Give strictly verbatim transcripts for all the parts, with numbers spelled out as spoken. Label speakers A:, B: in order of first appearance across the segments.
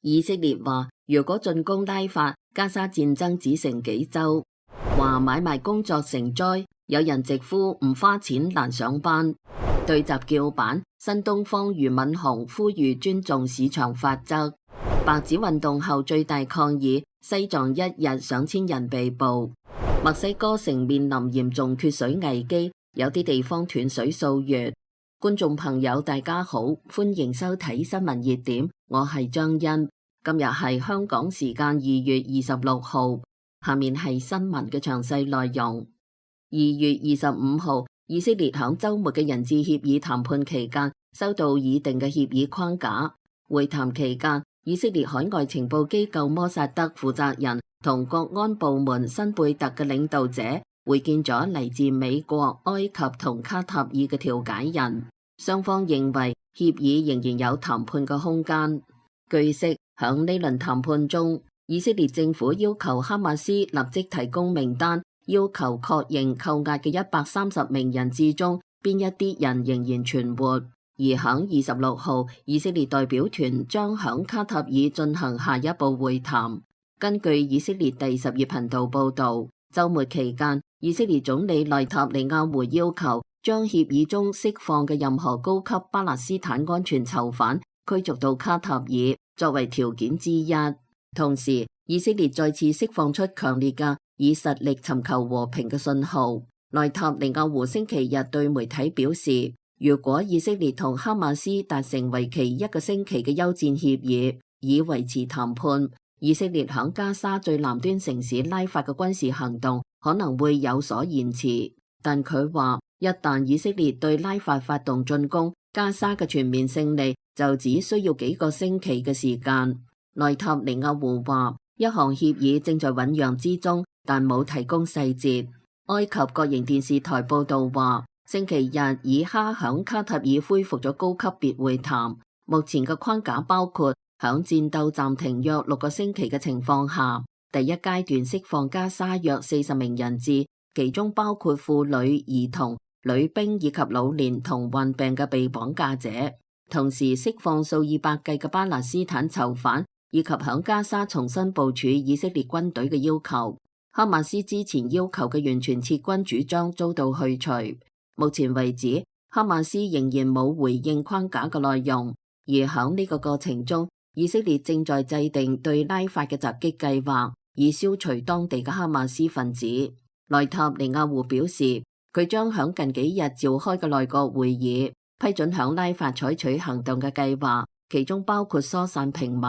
A: 以色列話，如果進攻拉法，加沙戰爭只剩幾週。話買賣工作成災，有人直呼唔花錢難上班。對閘叫板，新東方俞敏洪呼籲尊重市場法則。白紙運動後最大抗議，西藏一日上千人被捕。墨西哥城面臨嚴重缺水危機，有啲地方斷水數月。觀眾朋友大家好，歡迎收睇新聞熱點，我係張欣。今日係香港時間二月二十六號，下面係新聞嘅詳細內容。二月二十五號，以色列響週末嘅人質協議談判期間，收到擬定嘅協議框架。會談期間，以色列海外情報機構摩薩德負責人同國安部門辛貝特嘅領導者會見咗嚟自美國、埃及同卡塔爾嘅調解人，雙方認為協議仍然有談判嘅空間。據悉，響呢輪談判中，以色列政府要求哈馬斯立即提供名單，要求確認扣押嘅一百三十名人質中邊一啲人仍然存活。而響二十六號，以色列代表團將響卡塔爾進行下一步會談。根據以色列第十頁頻道報道，週末期間，以色列總理內塔尼亞胡要求將協議中釋放嘅任何高級巴勒斯坦安全囚犯驅逐到卡塔爾作為條件之一。同時，以色列再次釋放出強烈嘅以實力尋求和平嘅信號。內塔尼亞胡星期日對媒體表示，如果以色列同哈馬斯達成為期一個星期嘅休戰協議，以維持談判，以色列響加沙最南端城市拉法嘅軍事行動可能會有所延遲。但佢話，一旦以色列對拉法發動進攻，加沙嘅全面勝利就只需要幾個星期嘅時間。內塔尼亞胡話，一項協議正在醞釀之中，但冇提供細節。埃及國營電視台報道話，星期日以哈響卡塔爾恢復咗高級別會談，目前嘅框架包括響戰鬥暫停約六個星期嘅情況下，第一階段釋放加沙約四十名人質，其中包括婦女、兒童、女兵以及老年同患病嘅被綁架者，同時釋放數以百計嘅巴勒斯坦囚犯，以及響加沙重新部署以色列軍隊嘅要求。哈馬斯之前要求嘅完全撤軍主張遭到去除。目前為止，哈馬斯仍然冇回應框架嘅內容，而響呢個過程中，以色列正在制定對拉法嘅襲擊計劃，以消除當地嘅哈馬斯分子。內塔尼亞胡表示，佢將響近幾日召開嘅內閣會議批准響拉法採取行動嘅計劃，其中包括疏散平民。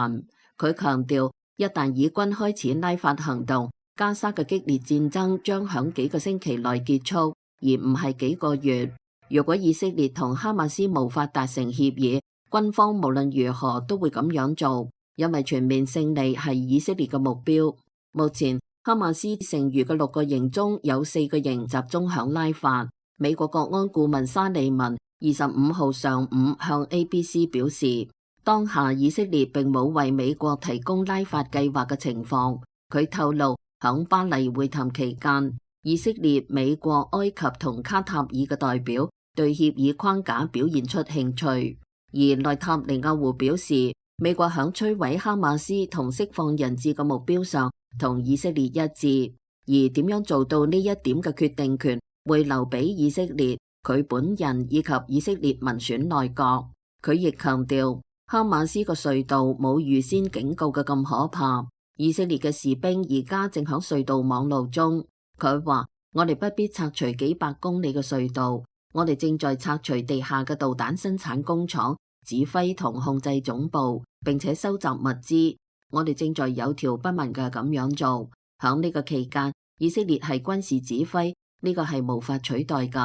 A: 佢強調，一旦以軍開始拉法行動，加沙嘅激烈戰爭將響幾個星期內結束，而唔係幾個月。如果以色列同哈馬斯無法達成協議，軍方無論如何都會咁樣做，因為全面勝利係以色列嘅目標。目前，哈馬斯剩餘嘅六個營中有四個營集中響拉法。美國國安顧問沙利文二十五號上午向 A B C 表示，當下以色列並冇為美國提供拉法計劃嘅情況。佢透露，響巴黎會談期間，以色列、美國、埃及同卡塔爾嘅代表對協議框架表現出興趣。而內塔尼亞胡表示，美國響摧毀哈馬斯同釋放人質嘅目標上同以色列一致，而點樣做到呢一點嘅決定權會留俾以色列佢本人以及以色列民選內閣。佢亦強調，哈馬斯個隧道冇預先警告嘅咁可怕，以色列嘅士兵而家正響隧道網路中。佢話，我哋不必拆除幾百公里嘅隧道，我哋正在拆除地下嘅導彈生產工廠、指揮同控制總部，並且收集物資。我哋正在有條不紊嘅咁樣做。響呢個期間，以色列係軍事指揮，呢個係無法取代噶。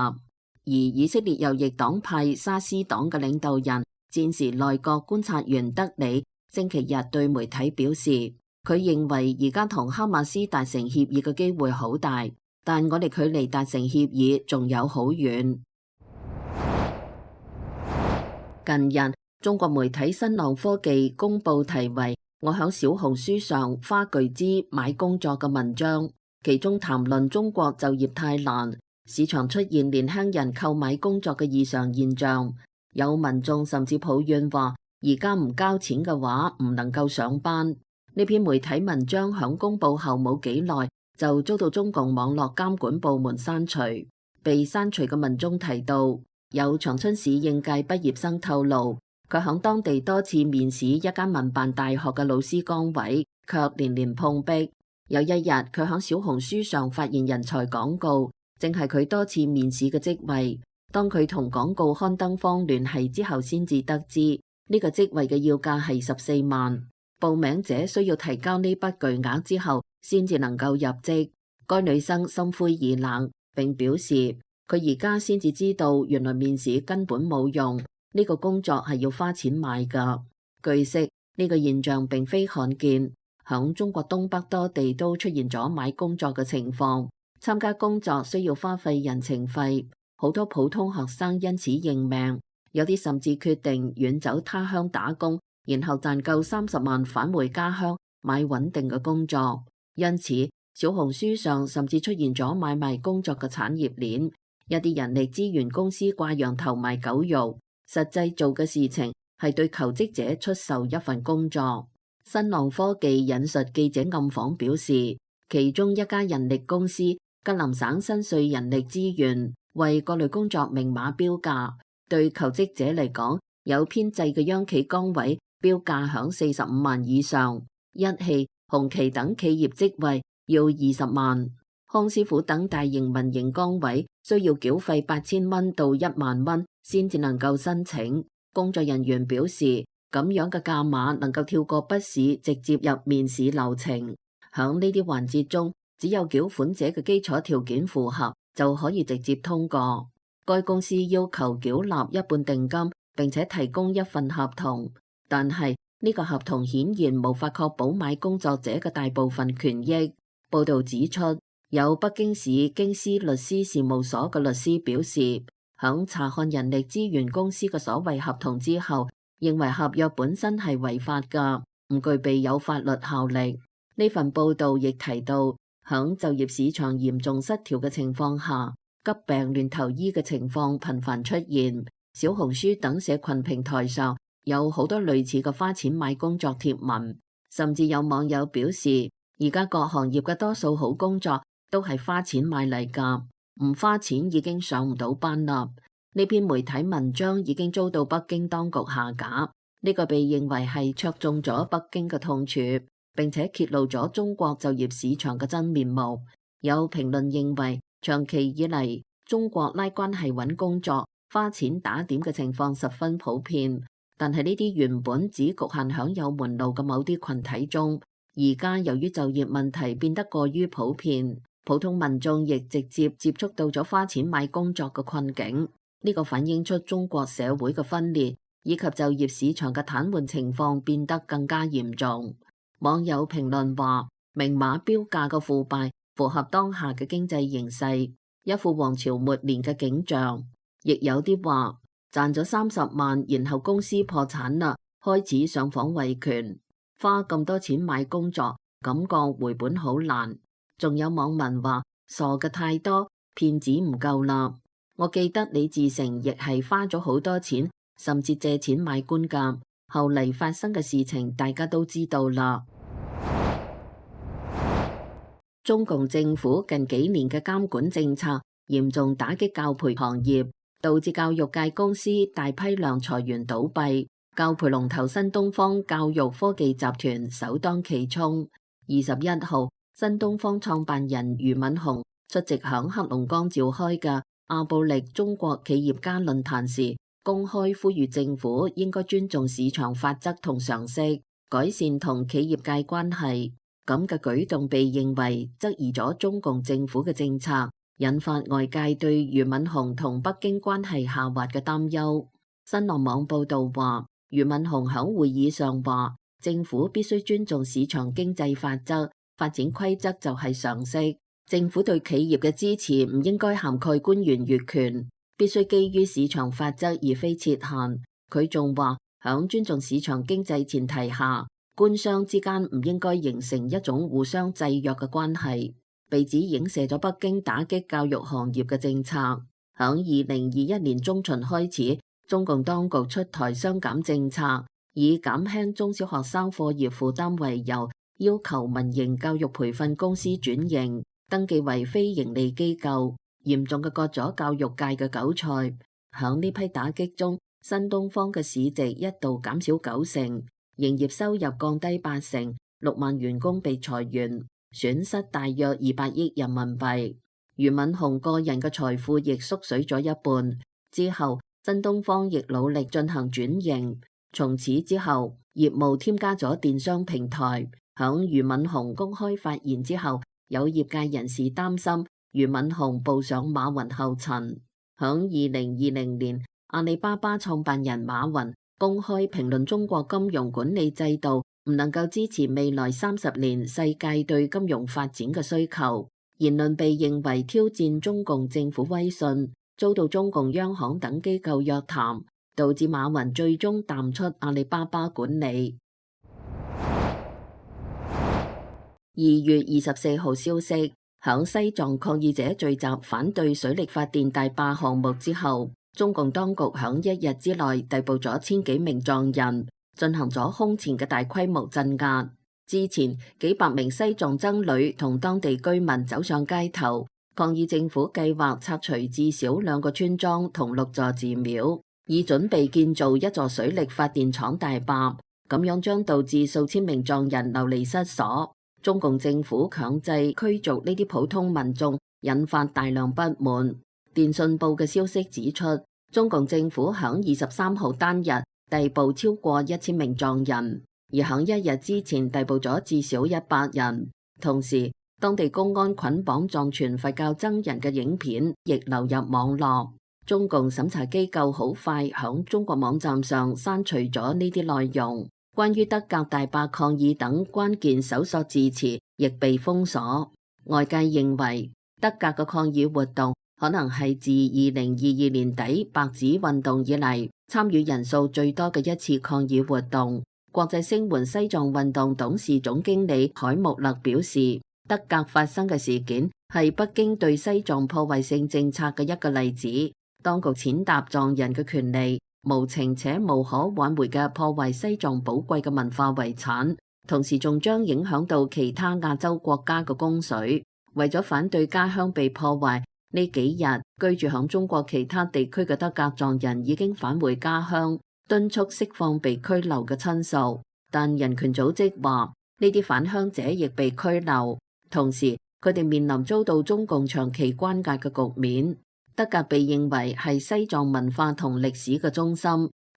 A: 而以色列右翼黨派沙斯黨嘅領導人、戰時內閣觀察員德里星期日對媒體表示，佢認為而家同哈馬斯達成協議嘅機會好大，但我哋距離達成協議仲有好遠。近日，中國媒體新浪科技公布題為我響小紅書上花巨資買工作嘅文章，其中談論中國就業太難，市場出現年輕人購買工作嘅異常現象。有民眾甚至抱怨話，而家唔交錢嘅話唔能夠上班。呢篇媒體文章響公佈後冇幾耐就遭到中共網絡監管部門刪除。被刪除嘅文中提到，有長春市應屆畢業生透露，佢響當地多次面試一間民辦大學嘅老師崗位，卻連連碰壁。有一日，佢響小紅書上發現人才廣告，正係佢多次面試嘅職位。當佢同廣告刊登方聯繫之後，先至得知呢個職位嘅要價係十四萬，報名者需要提交呢筆巨額之後，先至能夠入職。該女生心灰意冷，並表示佢而家先至知道，原來面試根本冇用，呢個工作係要花錢買㗎。據悉，呢個現象並非罕見，響中國東北多地都出現咗買工作嘅情況。參加工作需要花費人情費，好多普通學生因此認命，有啲甚至決定遠走他鄉打工，然後賺夠三十萬返回家鄉買穩定嘅工作。因此，小紅書上甚至出現咗買賣工作嘅產業鏈，一啲人力資源公司掛羊頭賣狗肉，實際做嘅事情係對求職者出售一份工作。新浪科技引述記者暗訪表示，其中一家人力公司吉林省新瑞人力資源為各類工作明碼標價，對求職者嚟講，有編制嘅央企崗位標價響四十五萬以上，一汽、紅旗等企業職位要二十萬，康師傅等大型民營崗位需要繳費八千蚊到一萬蚊先至能夠申請。工作人員表示，咁樣嘅價碼能夠跳過筆試，直接入面試流程。響呢啲環節中，只有繳款者嘅基礎條件符合，就可以直接通過。該公司要求繳納一半定金，並且提供一份合同，但係呢個合同顯然無法確保買工作者嘅大部分權益。報道指出，有北京市京師律師事務所嘅律師表示，響查看人力資源公司嘅所謂合同之後，認為合約本身係違法㗎，唔具備有法律效力。呢份報道亦提到，響就業市場嚴重失調嘅情況下，急病亂投醫嘅情況頻繁出現。小紅書等社群平台上有好多類似嘅花錢買工作貼文，甚至有網友表示，而家各行業嘅多數好工作都係花錢買嚟㗎，唔花錢已經上唔到班啦。呢篇媒體文章已經遭到北京當局下架，呢個被認為係戳中咗北京嘅痛處，並且揭露咗中國就業市場嘅真面目。有評論認為，長期以嚟中國拉關係揾工作、花錢打點嘅情況十分普遍，但係呢啲原本只局限響有門路嘅某啲群體中，而家由於就業問題變得過於普遍，普通民眾亦直接接觸到咗花錢買工作嘅困境。呢個反映出中國社會嘅分裂，以及就業市場嘅癱瘓情況變得更加嚴重。網友評論話，明碼標價嘅腐敗符合當下嘅經濟形勢，一副王朝末年嘅景象。亦有啲話，賺咗三十萬，然後公司破產啦，開始上訪維權，花咁多錢買工作，感覺回本好難。仲有網民話，傻嘅太多，騙子唔夠啦。我記得李自成亦係花咗好多錢，甚至借錢買官㗎。後嚟發生嘅事情大家都知道啦。中共政府近幾年嘅監管政策嚴重打擊教培行業，導致教育界公司大批量裁員倒閉。教培龍頭新東方教育科技集團首當其衝。二十一號，新東方創辦人俞敏洪出席響黑龍江召開嘅阿布力中國企業家論壇時，公開呼籲政府應該尊重市場法則同常識，改善同企業界關係。咁嘅舉動被認為質疑咗中共政府嘅政策，引發外界對俞敏洪同北京關係下滑嘅擔憂。新浪網報道話，俞敏洪響會議上話，政府必須尊重市場經濟法則，發展規則就係常識。政府對企業嘅支持唔應該涵蓋官員越權，必須基於市場法則而非設限。佢仲話，響尊重市場經濟前提下，官商之間唔應該形成一種互相制約嘅關係。被指影射咗北京打擊教育行業嘅政策。響二零二一年中旬開始，中共當局出台雙減政策，以減輕中小學生課業負擔為由，要求民營教育培訓公司轉型，登記為非營利機構，嚴重嘅割咗教育界嘅韭菜。響呢批打擊中，新東方嘅市值一度減少九成，營業收入降低八成，六萬員工被裁員，損失大約二百億人民幣。俞敏洪個人嘅財富亦縮水咗一半。之後，新東方亦努力進行轉型，從此之後，業務添加咗電商平台。響俞敏洪公開發言之後，有業界人士擔心俞敏洪步上馬雲後塵。響二零二零年，阿里巴巴創辦人馬雲公開評論中國金融管理制度唔能夠支持未來三十年世界對金融發展嘅需求，言論被認為挑戰中共政府威信，遭到中共央行等機構約談，導致馬雲最終淡出阿里巴巴管理。二月二十四號消息，響西藏抗議者聚集反對水力發電大壩項目之後，中共當局響一日之內逮捕咗千幾名藏人，進行咗空前嘅大規模鎮壓。之前幾百名西藏僧侶同當地居民走上街頭，抗議政府計劃拆除至少兩個村莊同六座寺廟，以準備建造一座水力發電廠大壩，咁樣將導致數千名藏人流離失所。中共政府強制驅逐呢啲普通民眾，引發大量不滿。電訊報嘅消息指出，中共政府響二十三號單日逮捕超過一千名藏人，而響一日之前逮捕咗至少一百人。同時，當地公安捆綁藏傳佛教僧人嘅影片亦流入網絡。中共審查機構好快響中國網站上刪除咗呢啲內容。關於德格大壩抗議等關鍵搜索字詞亦被封鎖。外界認為德格嘅抗議活動可能係自二零二二年底白紙運動以嚟參與人數最多嘅一次抗議活動。國際聲援西藏運動董事總經理海木勒表示，德格發生嘅事件係北京對西藏破壞性政策嘅一個例子。當局踐踏藏人嘅權利，無情且無可挽回嘅破壞西藏寶貴嘅文化遺產，同時仲將影響到其他亞洲國家嘅供水。為咗反對家鄉被破壞，呢幾日居住響中國其他地區嘅德格藏人已經返回家鄉，敦促釋放被拘留嘅親屬。但人權組織話，呢啲返鄉者亦被拘留，同時佢哋面臨遭到中共長期關押嘅局面。德格被認為係西藏文化同歷史嘅中心，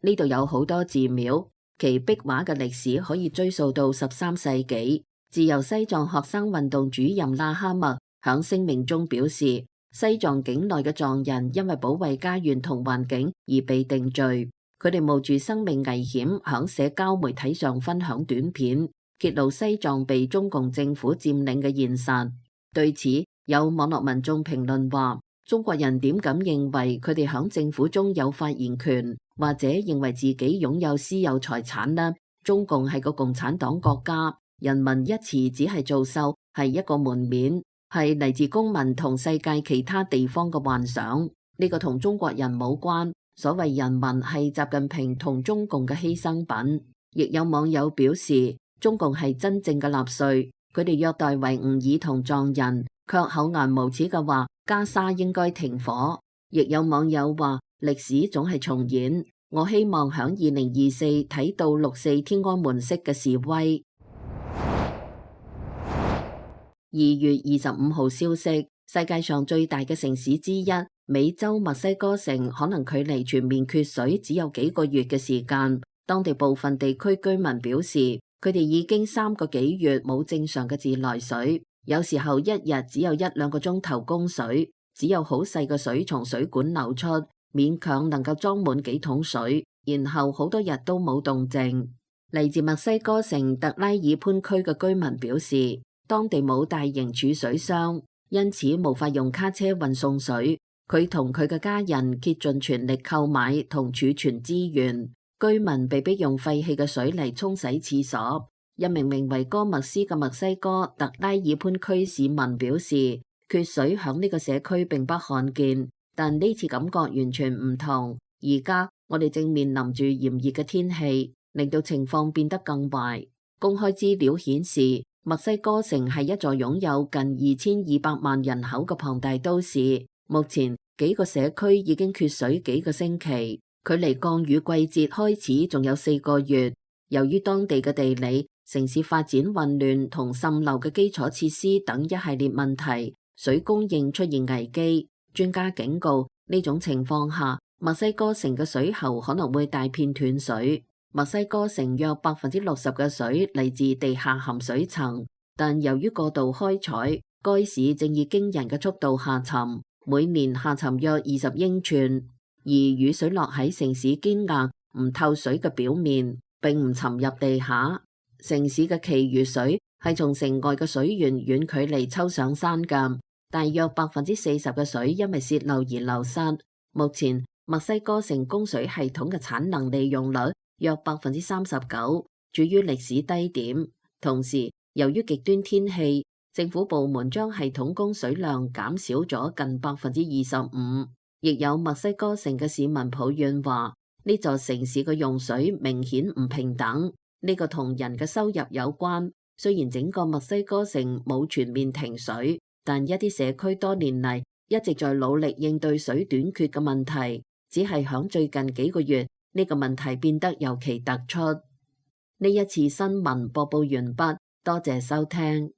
A: 呢度有好多寺廟，其壁畫嘅歷史可以追溯到十三世紀。自由西藏學生運動主任拉哈默響聲明中表示，西藏境內嘅藏人因為保衛家園同環境而被定罪，佢哋冒住生命危險響社交媒體上分享短片，揭露西藏被中共政府佔領嘅現實。對此，有網絡民眾評論話，中國人點敢認為佢哋響政府中有發言權，或者認為自己擁有私有財產呢？中共係個共產黨國家，人民一詞只係造秀，係一個門面，係嚟自公民同世界其他地方嘅幻想。呢個同中國人冇關。所謂人民係習近平同中共嘅犧牲品。亦有網友表示，中共係真正嘅納粹，佢哋虐待維吾爾同藏人，卻厚顏無恥嘅話加沙應該停火。亦有網友話，歷史總係重演，我希望響二零二四睇到六四天安門式嘅示威。二月二十五號消息，世界上最大嘅城市之一美洲墨西哥城可能距離全面缺水只有幾個月嘅時間。當地部分地區居民表示，佢哋已經三個幾月冇正常嘅自來水，有時候一日只有一兩個鐘頭供水，只有好細嘅水從水管流出，勉強能夠裝滿幾桶水，然後好多日都冇動靜。嚟自墨西哥城特拉爾潘區嘅居民表示，當地冇大型儲水箱，因此無法用卡車運送水。佢同佢嘅家人竭盡全力購買同儲存資源，居民被迫用廢棄嘅水嚟沖洗廁所。一名名為哥麥斯嘅墨西哥特拉爾潘區市民表示，缺水響呢個社區並不罕見，但呢次感覺完全唔同。而家我哋正面臨住炎熱嘅天氣，令到情況變得更壞。公開資料顯示，墨西哥城係一座擁有近二千二百萬人口嘅龐大都市。目前幾個社區已經缺水幾個星期，距離降雨季節開始仲有四個月。由於當地嘅地理、城市發展混亂同滲漏嘅基礎設施等一系列問題，水供應出現危機。專家警告，呢種情況下，墨西哥城嘅水喉可能會大片斷水。墨西哥城約百分之六十嘅水嚟自地下含水層，但由於過度開採，該市正以驚人嘅速度下沉，每年下沉約二十英寸。而雨水落喺城市堅硬唔透水嘅表面，並唔沉入地下。城市嘅其餘水係從城外嘅水源遠距離抽上山㗎，大約百分之四十嘅水因為洩漏而流失。目前墨西哥城供水系統嘅產能利用率約百分之三十九，處於歷史低點。同時，由於極端天氣，政府部門將系統供水量減少咗近百分之二十五。亦有墨西哥城嘅市民抱怨話，呢座城市嘅用水明顯唔平等。呢個同人嘅收入有關。雖然整個墨西哥城冇全面停水，但一啲社區多年嚟一直在努力應對水短缺嘅問題。只係響最近幾個月，呢個問題變得尤其突出。呢一次新聞播報完畢，多謝收聽。